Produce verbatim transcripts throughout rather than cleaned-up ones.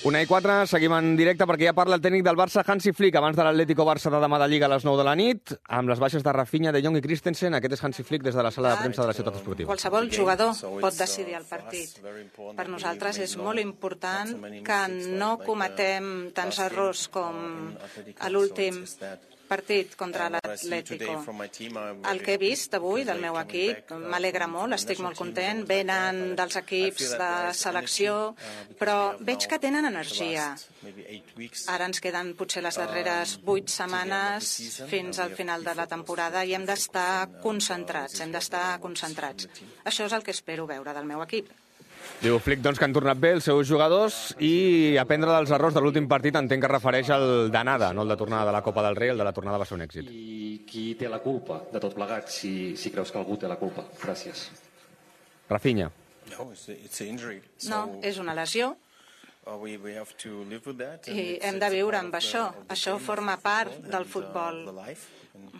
Una i quatre, seguim en directe perquè ja parla el tècnic del Barça, Hansi Flick, abans de l'Atlético Barça de demà de Lliga a les nou de la nit, amb les baixes de Rafinha, De Jong i Christensen. Aquest és Hansi Flick des de la sala de premsa de la Ciutat Esportiva. Qualsevol jugador pot decidir el partit. Per nosaltres és molt important que no cometem tants errors com a l'últim partit contra l'Atlético. El que he vist avui del meu equip m'alegra molt, estic molt content. Venen dels equips de selecció, però veig que tenen energia. Ara ens queden potser les darreres vuit setmanes fins al final de la temporada i hem d'estar concentrats, hem d'estar concentrats. Això és el que espero veure del meu equip. Diu Flick doncs, que han tornat bé els seus jugadors i aprendre dels errors de l'últim partit entenc que refereix al d'anada, no el de tornada de la Copa del Rei, el de la tornada va ser un èxit. I qui té la culpa de tot plegat, si, si creus que algú té la culpa? Gràcies. Rafinha. No, és una lesió i hem de viure amb això. Això forma part del futbol,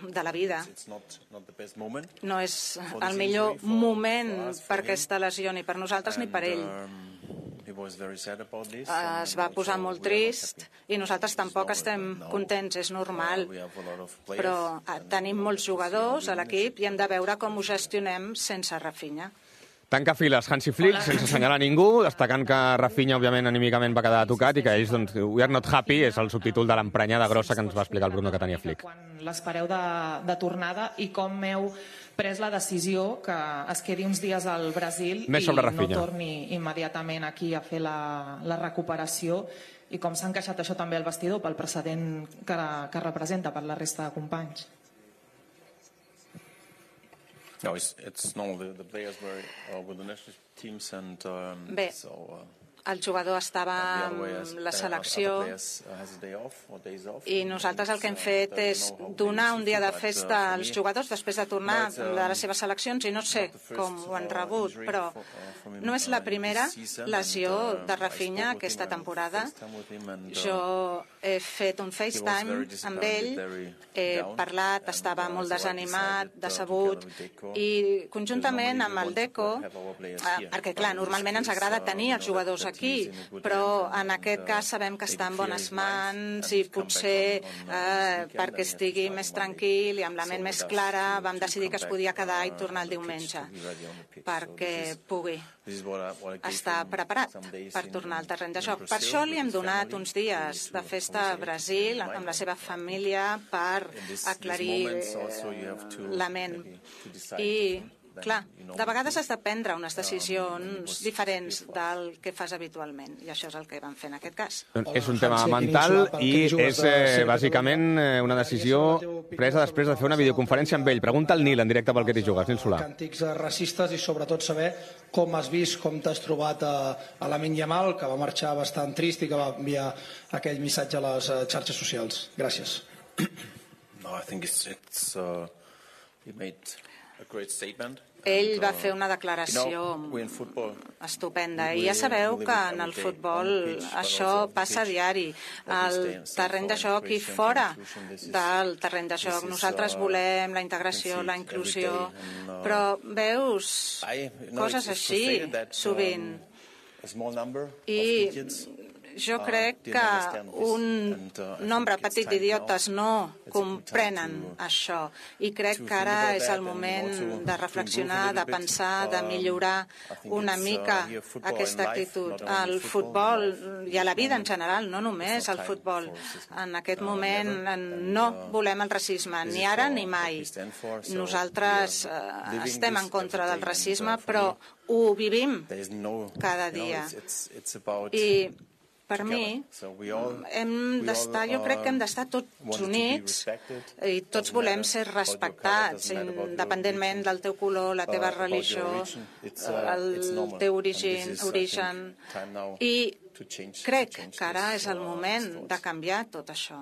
de la vida. No és el millor moment per aquesta lesió, ni per nosaltres ni per ell. Es va posar molt trist i nosaltres tampoc estem contents, és normal. Però tenim molts jugadors a l'equip i hem de veure com ho gestionem sense Rafinha. Tanca files Hansi Flick, sense assenyalar ningú, destacant que Rafinha, òbviament, anímicament va quedar tocat i que ells, doncs, we are not happy, és el subtítol de l'emprenyada grossa que ens va explicar el Bruno que tenia Flick. Quan l'espereu de, de tornada i com heu pres la decisió que es quedi uns dies al Brasil Més i sobre no Rafinha. torni immediatament aquí a fer la, la recuperació i com s'ha encaixat això també al vestidor pel precedent que, que representa per la resta de companys. No, it's, it's normal. The, the players were uh, with the national teams and um, Bé, so, uh, el jugador estava amb la selecció i nosaltres el que hem fet és donar un dia de festa als jugadors després de tornar de les seves seleccions i no sé com ho han rebut, però no és la primera lesió de Rafinha aquesta temporada. Jo he fet un FaceTime amb ell, he parlat, estava molt desanimat, decebut i conjuntament amb el Deco, perquè clar, normalment ens agrada tenir els jugadors aquí, però en aquest cas sabem que està en bones mans i potser eh, perquè estigui més tranquil i amb la ment més clara vam decidir que es podia quedar i tornar el diumenge perquè pugui estar preparat per tornar al terreny de joc. Per això li hem donat uns dies de festa a Brasil amb la seva família per aclarir eh, la ment. I clar, de vegades has de prendre unes decisions diferents del que fas habitualment, i això és el que vam fer en aquest cas. És un tema mental i és eh, bàsicament una decisió presa després de fer una videoconferència amb ell. Pregunta al Nil, en directe pel que t'hi jugues, Nil Solà. Càntics racistes i sobretot saber com has vist, com t'has trobat a, a Lamine Yamal, que va marxar bastant trist i que va enviar aquell missatge a les xarxes socials. Gràcies. No, I think it's, it's, uh, he made a great statement. Ell va fer una declaració estupenda i ja sabeu que en el futbol això passa a diari, al terreny de joc i fora del terreny de joc. Nosaltres volem la integració, la inclusió, però veus coses així sovint i jo crec que un nombre petit d'idiotes no comprenen això i crec que ara és el moment de reflexionar, de pensar, de millorar una mica aquesta actitud. Al futbol i a la vida en general, no només al futbol. En aquest moment no volem el racisme, ni ara ni mai. Nosaltres eh, estem en contra del racisme, però ho vivim cada dia. I per mi, hem d'estar, jo crec que hem d'estar tots units i tots volem ser respectats, independentment del teu color, la teva religió, el teu origen, origen. I crec que ara és el moment de canviar tot això.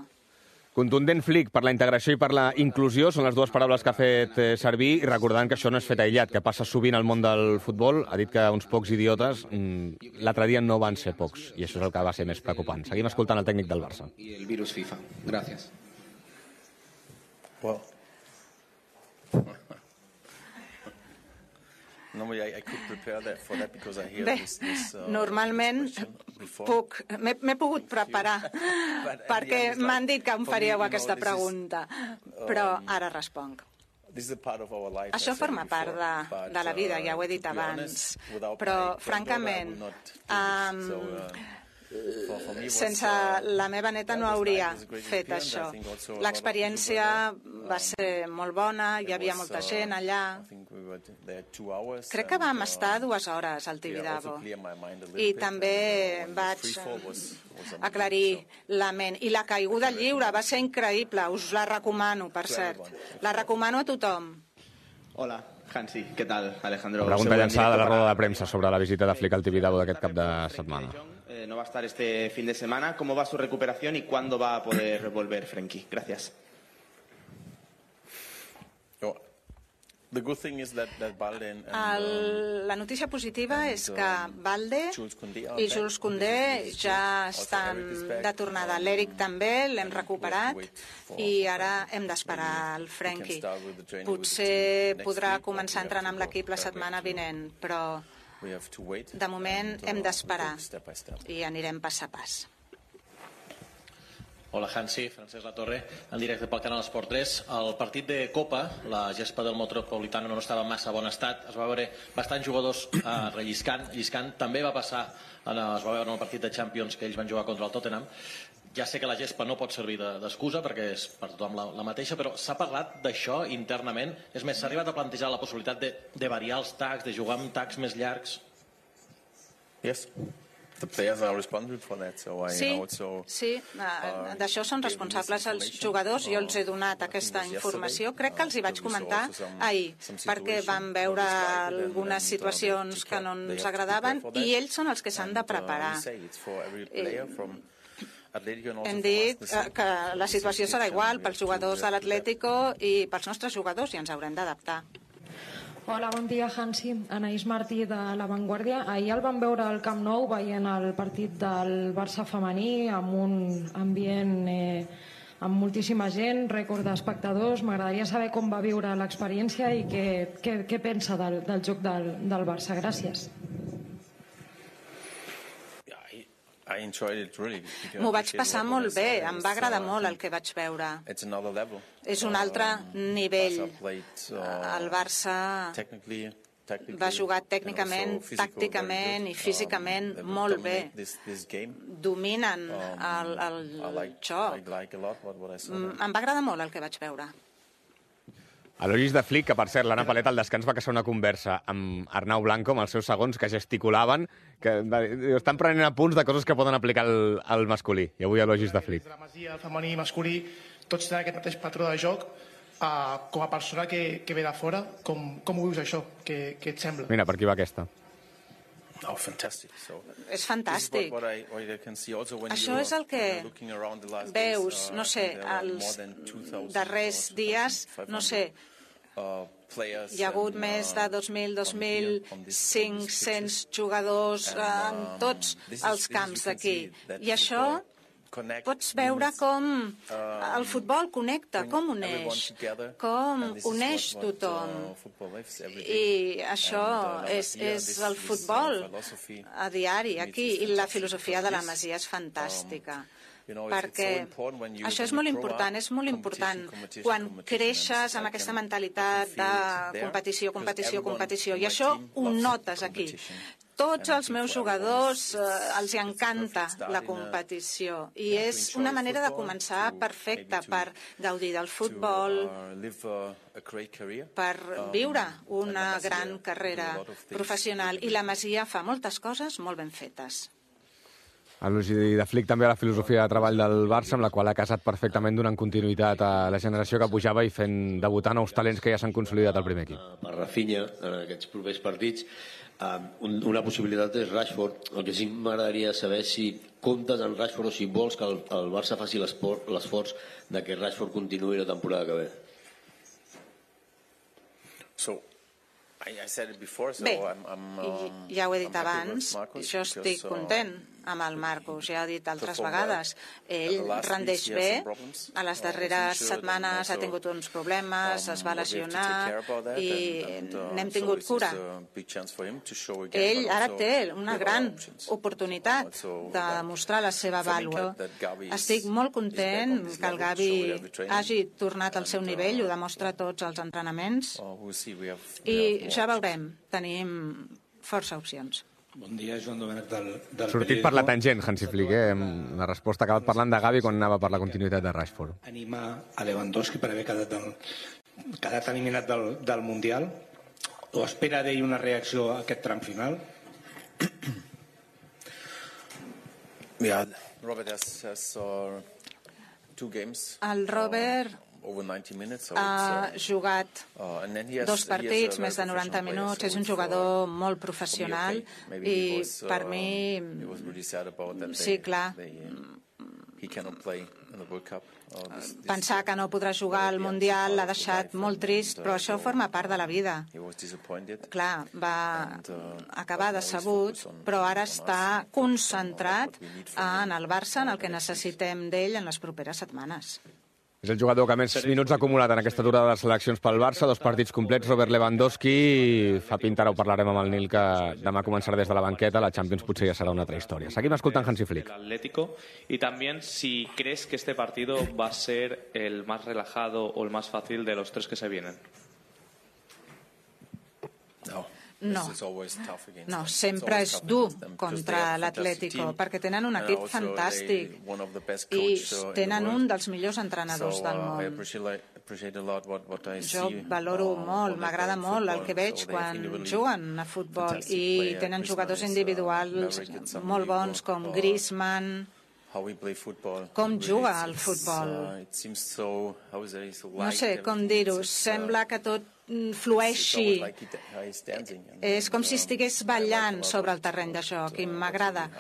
Contundent Flick per la integració i per la inclusió són les dues paraules que ha fet servir, i recordant que això no és fet aïllat, que passa sovint al món del futbol. Ha dit que uns pocs idiotes, l'altre dia no van ser pocs, i això és el que va ser més preocupant. Seguim escoltant el tècnic del Barça. I el virus FIFA. Gràcies. Well. Bé, normalment puc, m'he pogut preparar perquè m'han dit que em faríeu aquesta pregunta, però ara responc. Això forma part de, de la vida, ja ho he dit abans, però francament, um, sense la meva neta no hauria fet això. L'experiència va ser molt bona, hi havia molta gent allà. Crec que vam estar dues hores al Tibidabo i també vaig aclarir la ment. I la caiguda lliure va ser increïble, us la recomano, per cert. La recomano a tothom. Hola. Hansi, ¿qué tal, Alejandro? La pregunta llançada de la roda de premsa sobre la visita de Flick al Tibidabo d'aquest cap de setmana. Eh, no va a estar este fin de semana. ¿Cómo va su recuperación y cuándo va a poder volver Frenkie? Gracias. El, la notícia positiva és que Balde i Jules Koundé ja estan de tornada. L'Eric també l'hem recuperat i ara hem d'esperar el Frenkie. Potser podrà començar a entrenar amb l'equip la setmana vinent, però de moment hem d'esperar i anirem pas a pas. Hola, Hansi, Francesc Latorre, en directe pel canal Esport tres. El partit de Copa, la gespa del Metropolitano no estava en massa bon estat, es va veure bastants jugadors eh, relliscant, lliscant. També va passar, en, es va veure en el partit de Champions que ells van jugar contra el Tottenham. Ja sé que la gespa no pot servir d'excusa perquè és per tothom la, la mateixa, però s'ha parlat d'això internament. És més, s'ha arribat a plantejar la possibilitat de, de variar els tacs, de jugar amb tacs més llargs? Yes. Sí, sí, d'això són responsables els jugadors. Jo els he donat aquesta informació. Crec que els hi vaig comentar ahir, perquè vam veure algunes situacions que no ens agradaven i ells són els que s'han de preparar. Hem dit que la situació serà igual pels jugadors de l'Atlético i pels nostres jugadors i ens haurem d'adaptar. Hola, bon dia, Hansi. Anaïs Martí, de La Vanguardia. Ahir el vam veure al Camp Nou veient el partit del Barça femení amb un ambient eh, amb moltíssima gent, rècord d'espectadors. M'agradaria saber com va viure l'experiència i què, què, què pensa del, del joc del, del Barça. Gràcies. M'ho vaig passar molt bé, em va agradar molt el que vaig veure. És un altre nivell. El Barça va jugar tècnicament, tàcticament i físicament molt bé. Dominen el, el joc. Em va agradar molt el que vaig veure. Elogis de Flick, que per cert, l'Anna Palet al descans va caçar una conversa amb Arnau Blanco, amb els seus segons, que gesticulaven, que estan prenent apunts de coses que poden aplicar al, al masculí. I avui elogis de Flick. La Masia, el femení i masculí, tots tenen aquest mateix patró de joc. Uh, com a persona que, que ve de fora, com, com ho vius això? Què, què et sembla? Mira, per aquí va aquesta. Oh, fantastic. So, és fantàstic. Això és el que veus, no sé, els darrers dies, no sé, hi ha hagut més de dos mil, dos mil cinc-cents jugadors en tots els camps d'aquí. I això pots veure com el futbol connecta, com uneix, com uneix tothom. I això és, és el futbol a diari aquí, i la filosofia de la Masia és fantàstica. Perquè això és molt important, és molt important quan creixes amb aquesta mentalitat de competició, competició, competició, i això ho notes aquí. Tots els meus jugadors eh, els encanta la competició i és una manera de començar perfecta per gaudir del futbol, per viure una gran carrera professional, i la Masia fa moltes coses molt ben fetes. Elogi de Flick també a la filosofia de treball del Barça, amb la qual ha casat perfectament donant continuïtat a la generació que pujava i fent debutar nous talents que ja s'han consolidat al primer equip. Per Rafinha, en aquests propers partits, una possibilitat és Rashford. El que sí m'agradaria saber si comptes en Rashford o si vols que el, el Barça faci l'esforç de que Rashford continuï la temporada que ve. So, I, I said it before, so Bé, I'm, I'm, um, ja ho he dit abans, jo estic content amb el Marcus, ja ho he dit altres vegades. Ell rendeix bé, a les darreres setmanes ha tingut uns problemes, es va lesionar i n'hem tingut cura. Ell ara té una gran oportunitat de demostrar la seva vàlua. Estic molt content que el Gavi hagi tornat al seu nivell, ho demostra tots els entrenaments, i ja veurem, tenim força opcions. Bon dia, Joan Domènech del Periódico. Sortit per la tangent, Hansi Flick, eh? La resposta ha acabat parlant de Gavi quan anava per la continuïtat de Rashford. Anima a Lewandowski per haver quedat, el, quedat eliminat del, del Mundial, o espera d'ell una reacció a aquest tram final? Yeah, Robert has, has uh, two games. El Robert ha jugat dos partits, més de noranta minuts, és un jugador molt professional i per mi, sí, clar, pensar que no podrà jugar al Mundial l'ha deixat molt trist, però això forma part de la vida. Clar, va acabar decebut, però ara està concentrat en el Barça, en el que necessitem d'ell en les properes setmanes. És el jugador que més minuts ha acumulat en aquesta durada de les seleccions pel Barça, dos partits complets, Robert Lewandowski. Fa pinta, ara ho parlarem amb el Nil, que demà començarà des de la banqueta, la Champions potser ja serà una altra història. Seguim escoltant Hansi Flick. Atlético, y también si crees que este partido va a ser el más relajado o el más fácil de los tres que se vienen. No. No, no, sempre és dur contra l'Atlético, perquè tenen un equip fantàstic i tenen un dels millors entrenadors del món. Jo valoro molt, m'agrada molt el que veig quan juguen a futbol i tenen jugadors individuals molt bons com Griezmann, com juga al futbol. No sé com dir-ho, sembla que tot flueixi. És com si estigués ballant sobre el terreny de joc i m'agrada,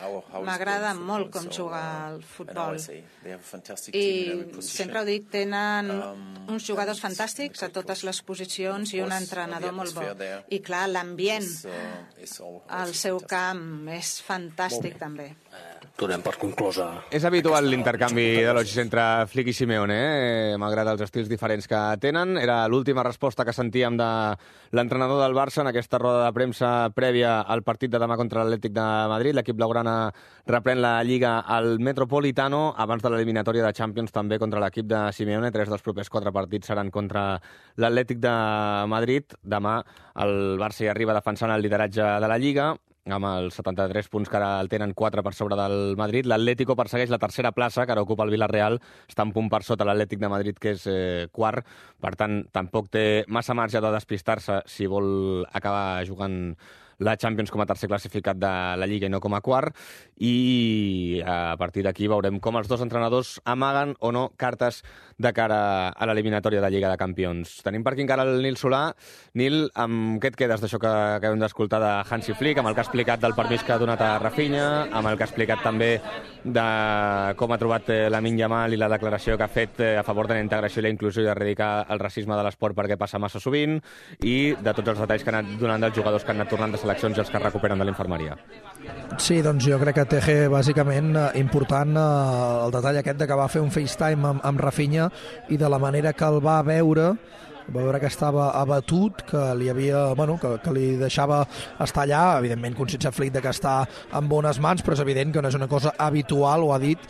m'agrada molt com juga al futbol. I sempre ho dic, tenen uns jugadors fantàstics a totes les posicions i un entrenador molt bo. I clar, l'ambient al seu camp és fantàstic també. Donem per conclosa. És habitual l'intercanvi d'elogis entre Flick i Simeone, eh? Malgrat els estils diferents que tenen. Era l'última resposta que sentíem de l'entrenador del Barça en aquesta roda de premsa prèvia al partit de demà contra l'Atlètic de Madrid. L'equip blaugrana reprèn la Lliga al Metropolitano abans de l'eliminatòria de Champions també contra l'equip de Simeone. Tres dels propers quatre partits seran contra l'Atlètic de Madrid. Demà el Barça hi arriba defensant el lideratge de la Lliga, amb els setanta-tres punts que ara el tenen, quatre per sobre del Madrid. L'Atlético persegueix la tercera plaça, que ara ocupa el Villarreal, està un punt per sota l'Atlètic de Madrid, que és eh, quart, per tant, tampoc té massa marge de despistar-se si vol acabar jugant la Champions com a tercer classificat de la Lliga i no com a quart, i a partir d'aquí veurem com els dos entrenadors amaguen o no cartes de cara a l'eliminatòria de Lliga de Campions. Tenim per aquí encara el Nil Solà. Nil, amb què et quedes d'això que acabem d'escoltar de Hansi Flick, amb el que ha explicat del permís que ha donat a Rafinha, amb el que ha explicat també de com ha trobat Lamine Yamal i la declaració que ha fet a favor de la integració i la inclusió i d'erradicar el racisme de l'esport perquè passa massa sovint, i de tots els detalls que han anat donant dels jugadors que han anat tornant de seleccions i els que es recuperen de l'infermeria. Sí, doncs jo crec que T G, bàsicament, important el detall aquest de que va fer un FaceTime amb, amb Rafinha i de la manera que el va veure, va veure que estava abatut, que li havia, bueno, que, que li deixava estar allà, evidentment conscient Flick de que està en bones mans, però és evident que no és una cosa habitual, ho ha dit,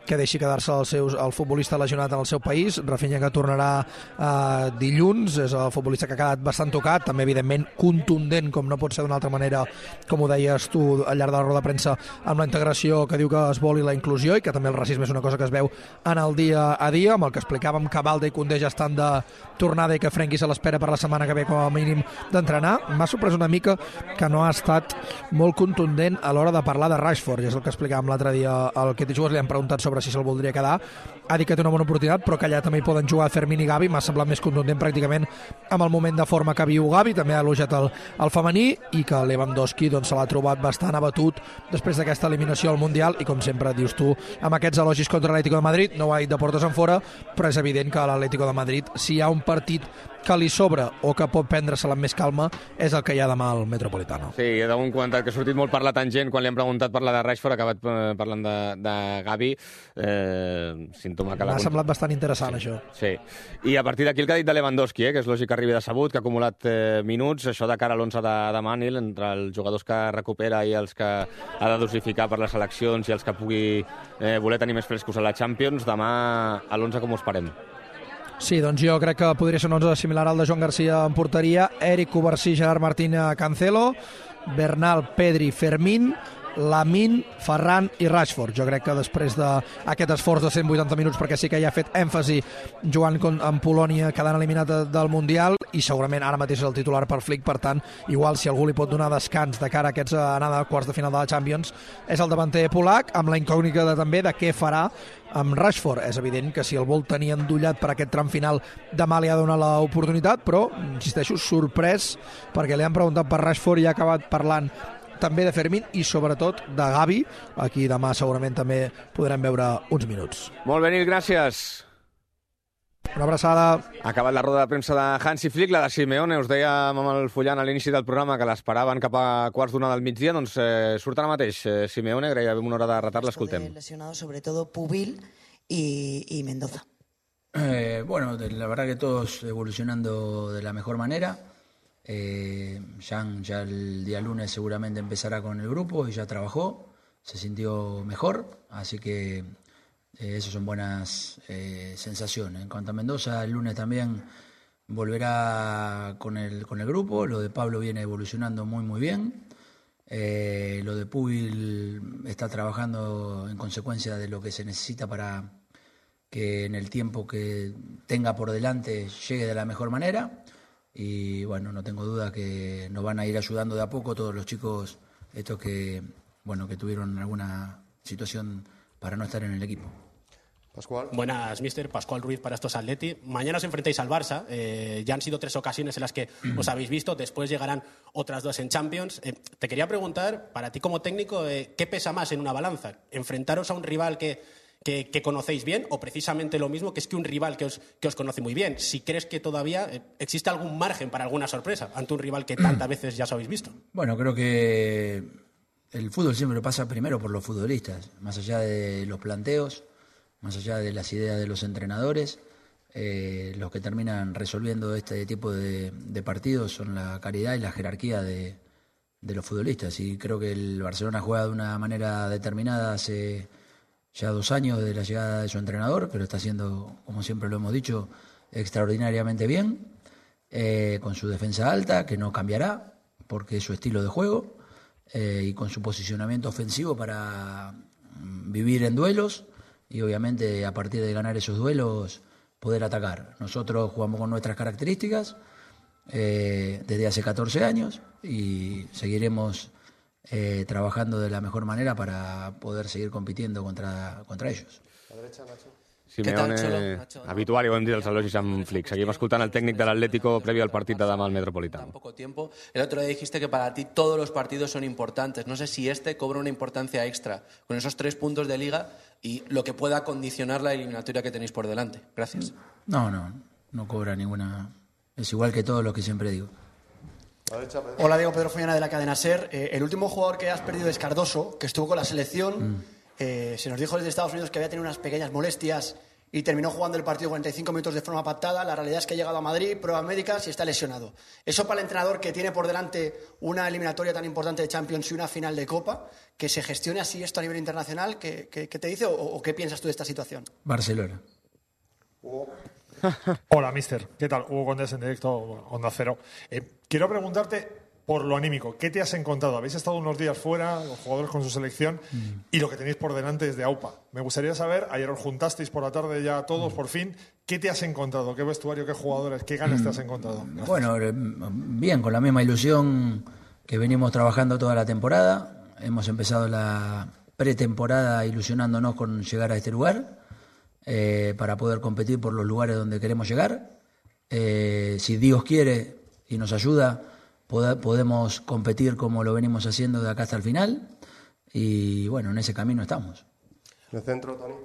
que deixi quedar-se el, seus, el futbolista lesionat en el seu país. Rafinha, que tornarà eh, dilluns, és el futbolista que ha quedat bastant tocat, també evidentment contundent, com no pot ser d'una altra manera, com ho deies tu al llarg de la roda de premsa, amb la integració que diu que es vol i la inclusió, i que també el racisme és una cosa que es veu en el dia a dia, amb el que explicàvem que Balde i Koundé ja estan de tornada i que Frenkie se l'espera per la setmana que ve com a mínim d'entrenar. M'ha sorprès una mica que no ha estat molt contundent a l'hora de parlar de Rashford, i és el que explicàvem l'altre dia al que t'hi jugues, li han preguntat sobre sobre si se'l voldria quedar. Ha dit que té una bona oportunitat, però que allà també hi poden jugar Fermín i Gavi. M'ha semblat més contundent pràcticament amb el moment de forma que viu Gavi. També ha elogiat el, el femení, i que Lewandowski doncs, se l'ha trobat bastant abatut després d'aquesta eliminació al Mundial, i com sempre dius tu, amb aquests elogis contra l'Atlético de Madrid, no ho ha dit de portes en fora, però és evident que l'Atlético de Madrid, si hi ha un partit que li sobra o que pot prendre-se-la amb més calma, és el que hi ha demà al Metropolitano. Sí, hi ha un comentat que ha sortit molt per la tangent quan li han preguntat per la de Rashford, ha acabat parlant de, de Gavi. Eh, símptoma que la... M'ha semblat bastant interessant, sí, això. Sí, i a partir d'aquí el que ha dit de Lewandowski, eh, que és lògic que arribi decebut, que ha acumulat eh, minuts, això de cara a l'onze de demà, Nil, entre els jugadors que recupera i els que ha de dosificar per les seleccions i els que pugui eh, voler tenir més frescos a la Champions, demà a l'onze com ho esperem? Sí, doncs jo crec que podria ser un onze similar al de Joan Garcia en porteria, Eric Covarsí, Gerard Martín, Cancelo, Bernal, Pedri, Fermín, Lamine, Ferran i Rashford. Jo crec que després d'aquest esforç de cent vuitanta minuts, perquè sí que ja ha fet èmfasi jugant amb Polònia, quedant eliminat del Mundial, i segurament ara mateix és el titular per Flick, per tant, igual si algú li pot donar descans de cara a aquests anada a quarts de final de la Champions, és el davanter polac, amb la incògnita de, també de què farà amb Rashford. És evident que si el vol tenir endollat per aquest tram final, demà li ha de donar l'oportunitat, però, insisteixo, sorprès, perquè li han preguntat per Rashford i ha acabat parlant també de Fermín i sobretot de Gavi. Aquí demà segurament també podrem veure uns minuts. Molt bé, Nil, gràcies. Una abraçada. Ha acabat la roda de premsa de Hansi Flick, la de Simeone. Us dèiem amb el Fullan a l'inici del programa que l'esperaven cap a quarts d'una del migdia. Doncs eh, surt ara mateix eh, Simeone, gairebé una hora de retard, l'escoltem. Lesionados sobre todo Pubil y, y Mendoza. Eh, bueno, la verdad que todos evolucionando de la mejor manera. Eh, Jan ya el día lunes seguramente empezará con el grupo y ya trabajó, se sintió mejor, así que eh, esas son buenas eh, sensaciones. En cuanto a Mendoza, el lunes también volverá con el, con el grupo. Lo de Pablo viene evolucionando muy muy bien. Eh, lo de Pubil está trabajando en consecuencia de lo que se necesita para que en el tiempo que tenga por delante llegue de la mejor manera. Y bueno, no tengo duda que nos van a ir ayudando de a poco todos los chicos estos que, bueno, que tuvieron alguna situación para no estar en el equipo. Pascual. Buenas, mister. Pascual Ruiz para estos Atleti. Mañana os enfrentáis al Barça. Eh, ya han sido tres ocasiones en las que os habéis visto. Después llegarán otras dos en Champions. Eh, te quería preguntar, para ti como técnico, eh, ¿qué pesa más en una balanza? ¿Enfrentaros a un rival que... Que, que conocéis bien, o precisamente lo mismo, que es que un rival que os, que os conoce muy bien? Si crees que todavía eh, existe algún margen para alguna sorpresa ante un rival que tantas veces ya os habéis visto. Bueno, creo que el fútbol siempre pasa primero por los futbolistas, más allá de los planteos, más allá de las ideas de los entrenadores. Eh, los que terminan resolviendo este tipo de, de partidos son la calidad y la jerarquía de, de los futbolistas, y creo que el Barcelona juega de una manera determinada hace ya dos años de la llegada de su entrenador, que lo está haciendo, como siempre lo hemos dicho, extraordinariamente bien, eh, con su defensa alta, que no cambiará, porque es su estilo de juego, eh, y con su posicionamiento ofensivo para vivir en duelos, y obviamente a partir de ganar esos duelos poder atacar. Nosotros jugamos con nuestras características eh, desde hace catorce años, y seguiremos Eh, trabajando de la mejor manera para poder seguir compitiendo contra, contra ellos. A la derecha, Nacho. Simeone, habitual, i ho hem dit els elogis amb Flick. Seguim escoltant el tècnic de l'Atlético previo al partit de demà al Metropolitano. Poco tiempo. El otro día dijiste que para ti todos los partidos son importantes. No sé si este cobra una importancia extra con esos tres puntos de liga y lo que pueda condicionar la eliminatoria que tenéis por delante. Gracias. No, no, no cobra ninguna. Es igual que todo lo que siempre digo. Hola, Diego, Pedro Follana de la cadena SER. Eh, el último jugador que has perdido es Cardoso, que estuvo con la selección. Mm. Eh, se nos dijo desde Estados Unidos que había tenido unas pequeñas molestias y terminó jugando el partido cuarenta y cinco minutos de forma pactada. La realidad es que ha llegado a Madrid, pruebas médicas y está lesionado. Eso para el entrenador que tiene por delante una eliminatoria tan importante de Champions y una final de Copa, que se gestione así esto a nivel internacional, ¿qué, qué, qué te dice o, o qué piensas tú de esta situación? Barcelona. Hola, mister. ¿Qué tal? Hugo Condés en directo, Onda Cero. Eh, quiero preguntarte por lo anímico. ¿Qué te has encontrado? Habéis estado unos días fuera, los jugadores con su selección, mm. y lo que tenéis por delante es de AUPA. Me gustaría saber, ayer os juntasteis por la tarde ya todos, mm. por fin, ¿qué te has encontrado? ¿Qué vestuario, qué jugadores, qué ganas mm. te has encontrado? Gracias. Bueno, bien, con la misma ilusión que venimos trabajando toda la temporada. Hemos empezado la, pretemporada ilusionándonos con llegar a este lugar, eh, para poder competir por los lugares donde queremos llegar. Eh, si Dios quiere y nos ayuda, pod- podemos competir como lo venimos haciendo de acá hasta el final. Y bueno, en ese camino estamos. En el centro, Toni.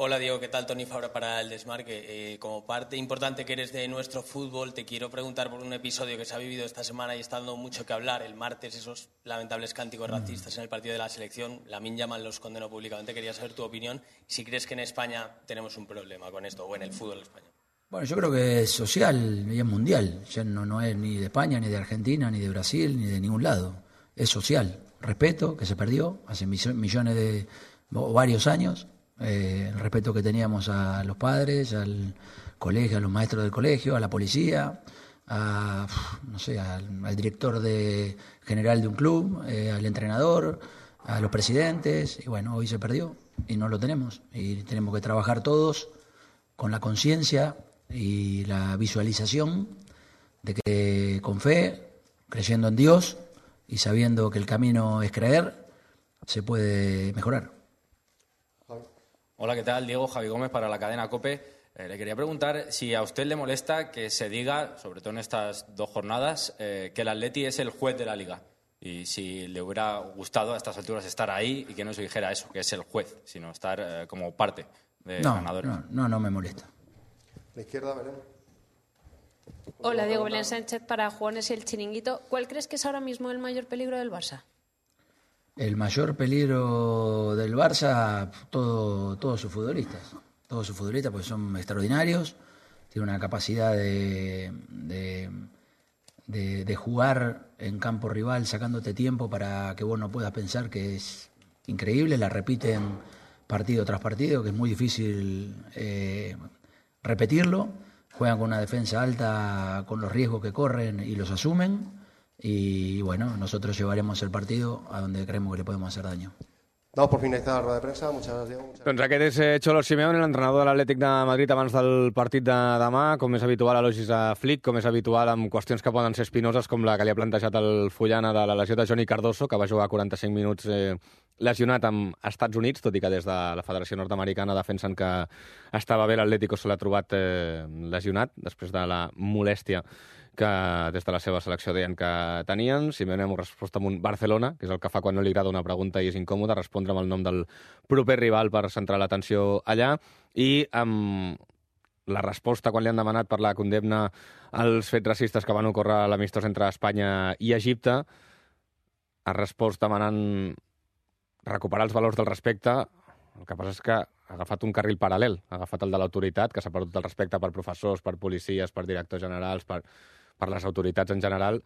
Hola Diego, ¿qué tal? Toni Fabra para el Desmarque. Eh, como parte importante que eres de nuestro fútbol, te quiero preguntar por un episodio que se ha vivido esta semana y está dando mucho que hablar. El martes, esos lamentables cánticos racistas en el partido de la selección. Lamine Yamal los condenó públicamente. Quería saber tu opinión. Si crees que en España tenemos un problema con esto, o en el fútbol español. Bueno, yo creo que es social y es mundial. Ya no, no es ni de España, ni de Argentina, ni de Brasil, ni de ningún lado. Es social. Respeto, que se perdió hace millones de... o varios años. Eh, el respeto que teníamos a los padres, al colegio, a los maestros del colegio, a la policía, a, no sé, al, al director de, general de un club, eh, al entrenador, a los presidentes. Y bueno, hoy se perdió y no lo tenemos. Y tenemos que trabajar todos con la conciencia y la visualización de que con fe, creyendo en Dios y sabiendo que el camino es creer, se puede mejorar. Hola, ¿qué tal? Diego, Javi Gómez para la cadena COPE. Eh, le quería preguntar si a usted le molesta que se diga, sobre todo en estas dos jornadas, eh, que el Atleti es el juez de la Liga. Y si le hubiera gustado a estas alturas estar ahí y que no se dijera eso, que es el juez, sino estar eh, como parte de no, ganadores. No, no, no me molesta. La izquierda, Belén. Hola, Diego, Belén Sánchez para Jugones y el Chiringuito. ¿Cuál crees que es ahora mismo el mayor peligro del Barça? El mayor peligro del Barça, todo, todos sus futbolistas. Todos sus futbolistas, porque son extraordinarios. Tienen una capacidad de, de, de, de jugar en campo rival, sacándote tiempo para que vos no puedas pensar, que es increíble. La repiten partido tras partido, que es muy difícil eh, repetirlo. Juegan con una defensa alta, con los riesgos que corren y los asumen. Y bueno, nosotros llevaremos el partido a donde creemos que le podemos hacer daño. Damos por finalitzada la roda de premsa. Muchas gràcies, Diego. Muchas Doncs aquest és eh, Cholo Simeone, l'entrenador de l'Atlètic de Madrid abans del partit de demà, com és habitual elogis a Flick, com és habitual amb qüestions que poden ser espinoses, com la que li ha plantejat el Fullana de la lesió de Johnny Cardoso, que va jugar quaranta-cinc minuts eh, lesionat amb Estats Units, tot i que des de la Federació Nord-Americana defensen que estava bé. L'Atlético se l'ha trobat eh, lesionat després de la molèstia que des de la seva selecció deien que tenien. Simeone ha respost amb un Barcelona, que és el que fa quan no li agrada una pregunta i és incòmode, respondre amb el nom del proper rival per centrar l'atenció allà, i amb la resposta quan li han demanat per la condemna als fets racistes que van ocórrer a l'amistós entre Espanya i Egipte, ha respost demanant recuperar els valors del respecte. El que passa és que ha agafat un carril paral·lel, ha agafat el de l'autoritat, que s'ha perdut el respecte per professors, per policies, per directors generals, per, per les autoritats en general.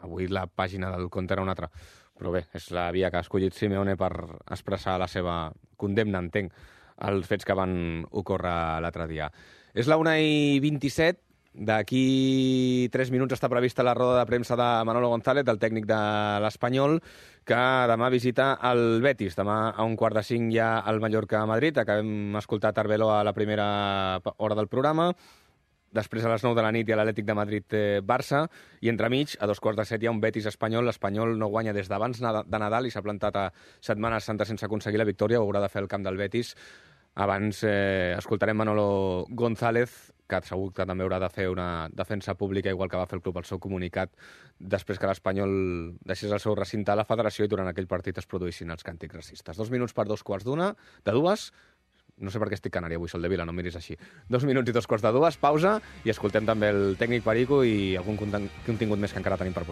Avui la pàgina del compte era una altra. Però bé, és la via que ha escollit Simeone per expressar la seva condemna, entenc, als fets que van ocórrer l'altre dia. És la una i vint-i-set. D'aquí tres minuts està prevista la roda de premsa de Manolo González, del tècnic de l'Espanyol, que demà visita el Betis. Demà a un quart de cinc hi ha el Mallorca-Madrid. Acabem escoltat Arbelo a la primera hora del programa. Després a les nou de la nit hi ha l'Atlètic de Madrid-Barça. I entremig, a dos quarts de set, hi ha un Betis-Espanyol. L'Espanyol no guanya des d'abans de Nadal i s'ha plantat a Setmana Santa sense aconseguir la victòria. Ho haurà de fer el camp del Betis. Abans eh, escoltarem Manolo González, que segur que també haurà de fer una defensa pública, igual que va fer el club al seu comunicat, després que l'Espanyol deixés el seu recinte a la federació i durant aquell partit es produïssin els càntics racistes. Dos minuts per dos quarts d'una, de dues. No sé per què estic canari avui, Sol de Vila, no miris així. Dos minuts i dos quarts de dues, pausa, i escoltem també el tècnic Perico i algun contingut més que encara tenim per posar.